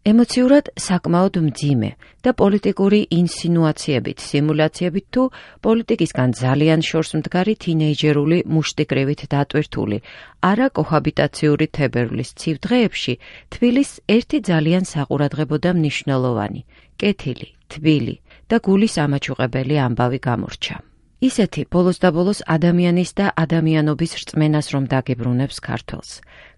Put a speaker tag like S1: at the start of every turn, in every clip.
S1: ემოციურად საკმაოდ მძიმე და პოლიტიკური ინსინუაციებით, სიმულაციებით თუ პოლიტიკისგან ძალიან შორს მდგარი თინეიჯერული მუშტიკრივით დატვირთული, არა კოჰაბიტაციური თებერვლის ცივ დღეებში თბილისს ერთი ძალიან საყურადღებო და მნიშვნელოვანი, კეთილი, თბილი და გულის ამაჩუყებელი ამბავი გამორჩა. ისეთი ბოლოს და ბოლოს ადამიანის და ადამიანობის რწმენას რომ დაგებრუნებს ქართველს,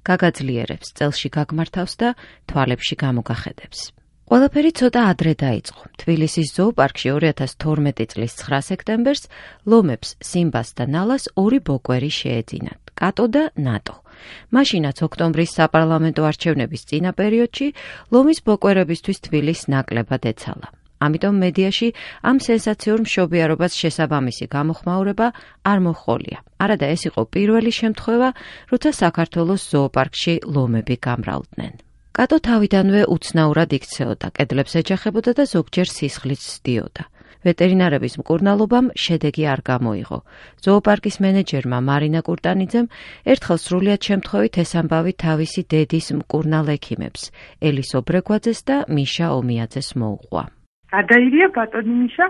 S1: გაგაძლიერებს, წელში გაგმართავს და თვალებში გამოგახედებს. ყველაფერი ცოტა ადრე დაიწყო. თბილისის ზოოპარკში 2012 წლის 9 სექტემბერს ლომებს, სიმბას და ნალას ორი ბოკვერი შეეძინათ, კატო და ნატო. მაშინაც ოქტომბრის საპარლამენტო არჩევნების წინა პერიოდში ლომის ბოკვერებისთვის თბილისს ნაკლებად ეცალა. ამიტომ მედიაში ამ სენსაციურ მშობიარობას შესაბამისი გამოხმაურება არ მოჰყოლია. არადა ეს იყო პირველი შემთხვევა, როცა საქართველოს ზოოპარკში ლომები გამრავლდნენ. კატო თავიდანვე უცნაურად იქცეოდა, კედლებს ეჯახებოდა და ზოგჯერ სისხლიც სდიოდა. ვეტერინარების მკურნალობამ შედეგი არ გამოიღო. ზოოპარკის მენეჯერმა მარინა კურტანიძემ ერთხელ სრულიად შემთხვევით ეს ამბავი თავისი დედის მკურნალ ექიმებს, ელის ობრეგვაძეს და მიშა ომიაძეს მოუყვა.
S2: გადაირია ბატონი მიშა,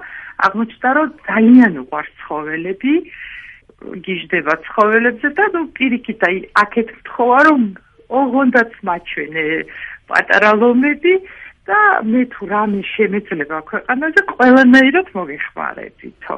S2: აღმოჩნდა რომ ძალიან უყვარს ცხოველები, გიждდება ცხოველებზე და პირიქით აქეთ მთხოვა რომ ოღონდაც მაჩვენე პატარა ლომები და მე თუ რამე შემეძლება ქვეყანაზე ყველანაირად მოგეხმარებითო.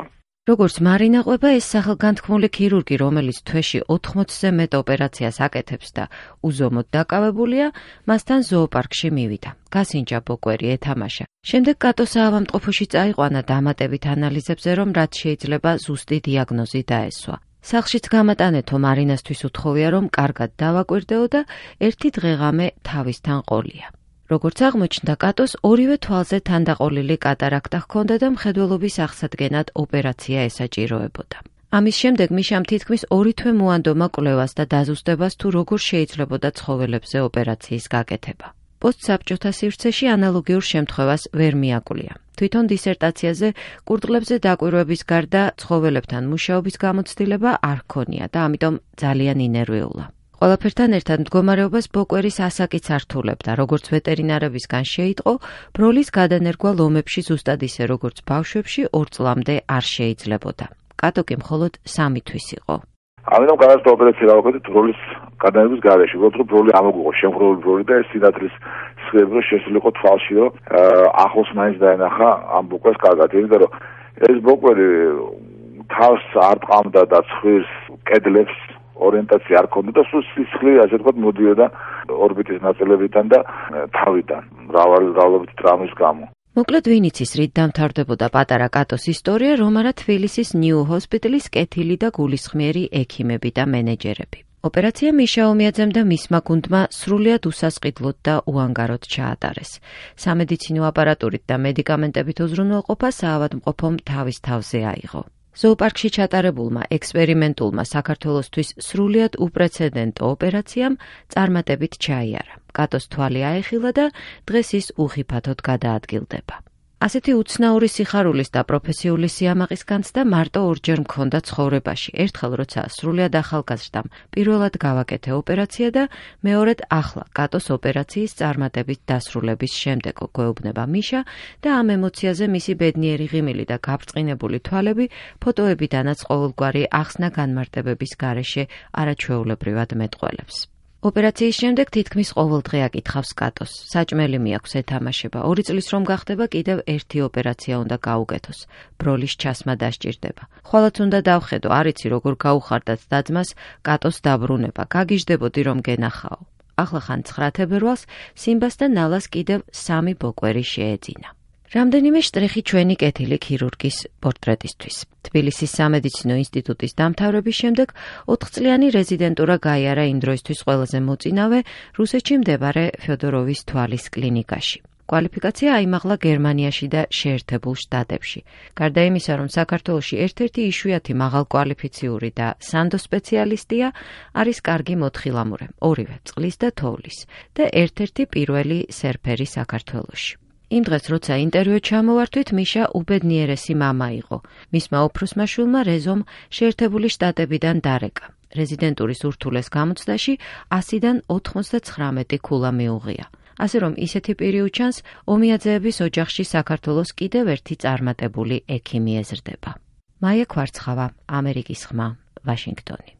S1: როგორც მარინა ყვება, ეს სახელგანთქმული ქირურგი, რომელიც თვეში 80-ზე მეტ ოპერაციას აკეთებს და უზომოდ დაკავებულია, მასთან ზოოპარკში მივიდა. გასინჯა ბოკვერი, ეთამაშა. შემდეგ კატო საავადმყოფოში წაიყვანა დამატებით ანალიზებზე, რომ რაც შეიძლება ზუსტი დიაგნოზი დაესვა. სახლშიც გამატანეთო მარინასთვის უთხოვია, რომ კარგად დავაკვირდეო და ერთი დღეღამე თავისთან ყოლია. როგორც აღმოჩნდა, კატოს ორივე თვალზე თანდაყოლილი კატარაქტა ჰქონდა და მხედველობის აღსადგენად ოპერაცია ესაჭიროებოდა. ამის შემდეგ მიშამ თითქმის 2 თვე მოანდომა კვლევას და დაზუსტებას თუ როგორ შეიძლებოდა ცხოველებზე ოპერაციის გაკეთება. პოსტსაბჭოთა სივრცეში ანალოგიურ შემთხვევას ვერ მიაკვლია. თვითონ დისერტაციაზე კურდღლებზე დაკვირვების გარდა ცხოველებთან მუშაობის გამოცდილება არ ჰქონია და ამიტომ ძალიან ინერვიულა. ყველაფერთან ერთად მდგომარეობას ბოკვერის ასაკიც ართულებდა, როგორც ვეტერინარებისგან შეიტყო, ბროლის გადანერგვა ლომებში ზუსტად ისე როგორც ბავშვებში 2 წლამდე არ შეიძლებოდა. კატო კი მხოლოდ 3 თვის იყო.
S3: ამიტომ განაცხადა ოპერაცია გავაკეთეთ ბროლის გადანერგვის გარეშე. უბრალოდ ბროლი ამოგუღო, შემღრული ბროლი და ეს სინათლის სხეები შესულიყო თვალში, რომ ახლოს მაინც დაენახა ამ ბოკვერს კარგად. იმიტომ რომ ეს ბოკვერი თავს არ ტყამდა და ცხვირს, კედლებს ორიენტაცია არ ქონდა და სულ სისხლი ასე ვთქვათ მოდიოდა ორბიტის ნაწილებიდან და თავიდან მრავალობით ტრამვის გამო.
S1: მოკლედ ვინ იცის რით დამთავრდებოდა პატარა კატოს ისტორია, რომ არა თბილისის ნიუ ჰოსპიტალის კეთილი და გულისხმიერი ექიმები და მენეჯერები. ოპერაცია მიშა ომიაძემ და მისმა გუნდმა სრულიად უსასყიდლოდ და უანგაროდ ჩაატარეს. სამედიცინო აპარატურით და მედიკამენტებით უზრუნველყოფა საავადმყოფომ თავის თავზე აიღო. ზოოპარკში ჩატარებულმა ექსპერიმენტულმა საქართველოსთვის სრულიად უპრეცედენტო ოპერაციამ წარმატებით ჩაიარა. კატოს თვალი აეხილა და დღეს ის უხიფათოდ გადაადგილდება. ასეთი უცნაური სიხარულის და პროფესიული სიამაყის განცდა მარტო ორჯერ მქონდა ცხოვრებაში. ერთხელ როცა სრულიად ახალგაზრდამ პირველად გავაკეთე ოპერაცია და მეორედ ახლა კატოს ოპერაციის წარმატებით დასრულების შემდეგ გვეუბნება მიშა და ამ ემოციაზე მისი ბედნიერი ღიმილი და გაბრწყინებული თვალები ფოტოებიდანაც ყოველგვარი ახსნა განმარტებების გარეშე არაჩვეულებრივად მეტყველებს. ოპერაციის შემდეგ თითქმის ყოველდღე აკითხავს კატოს. საჭმელი მიაქვს, ეთამაშება. 2 წლის რომ გახდება, კიდევ ერთი ოპერაცია უნდა გაუკეთოს. ბროლის ჩასმა დასჭირდება. ხვალაც უნდა დავხედო, არ იცი როგორ გაუხარდათ დაძმას კატოს დაბრუნება. გაგიჟდებოდი რომ გენახაო. ახლა ხან 9 თებერვალს სიმბას და ნალას კიდევ 3 ბოკვერი შეეძინა. რამდენიმე შტრიხი ჩვენი კეთილი ქირურგის პორტრეტისთვის. თბილისის სამედიცინო ინსტიტუტის დამთავრების შემდეგ 4 წლიანი რეზიდენტურა გაიარა იმ დროისთვის ყველაზე მოწინავე რუსეთში მდებარე ფიოდოროვის თვალის კლინიკაში. კვალიფიკაცია აიმაღლა გერმანიაში და შეერთებულ შტატებში. გარდა იმისა, რომ საქართველოში ერთ-ერთი იშვიათი მაღალკვალიფიციური და სანდო სპეციალისტია, არის კარგი მოთხილამურე, ორივე წყლის და თოვლის და ერთ-ერთი პირველი სერფერი საქართველოში. იმ დღეს, როცა ინტერვიუ ჩამოვართვით, მიშა უბედნიერესი მამა იყო. მისმა უფროსმა შვილმა რეზომ შეერთებული შტატებიდან დარეკა. რეზიდენტურის ურთულეს გამოცდაში 100-დან 99 ქულა მიუღია. ასე რომ ისეთი პირი უჩანს, ომიაძეების ოჯახში საქართველოს კიდევ ერთი წარმატებული ექიმი ეზრდება. მაია ქვარცხავა, ამერიკის ხმა, ვაშინგტონი.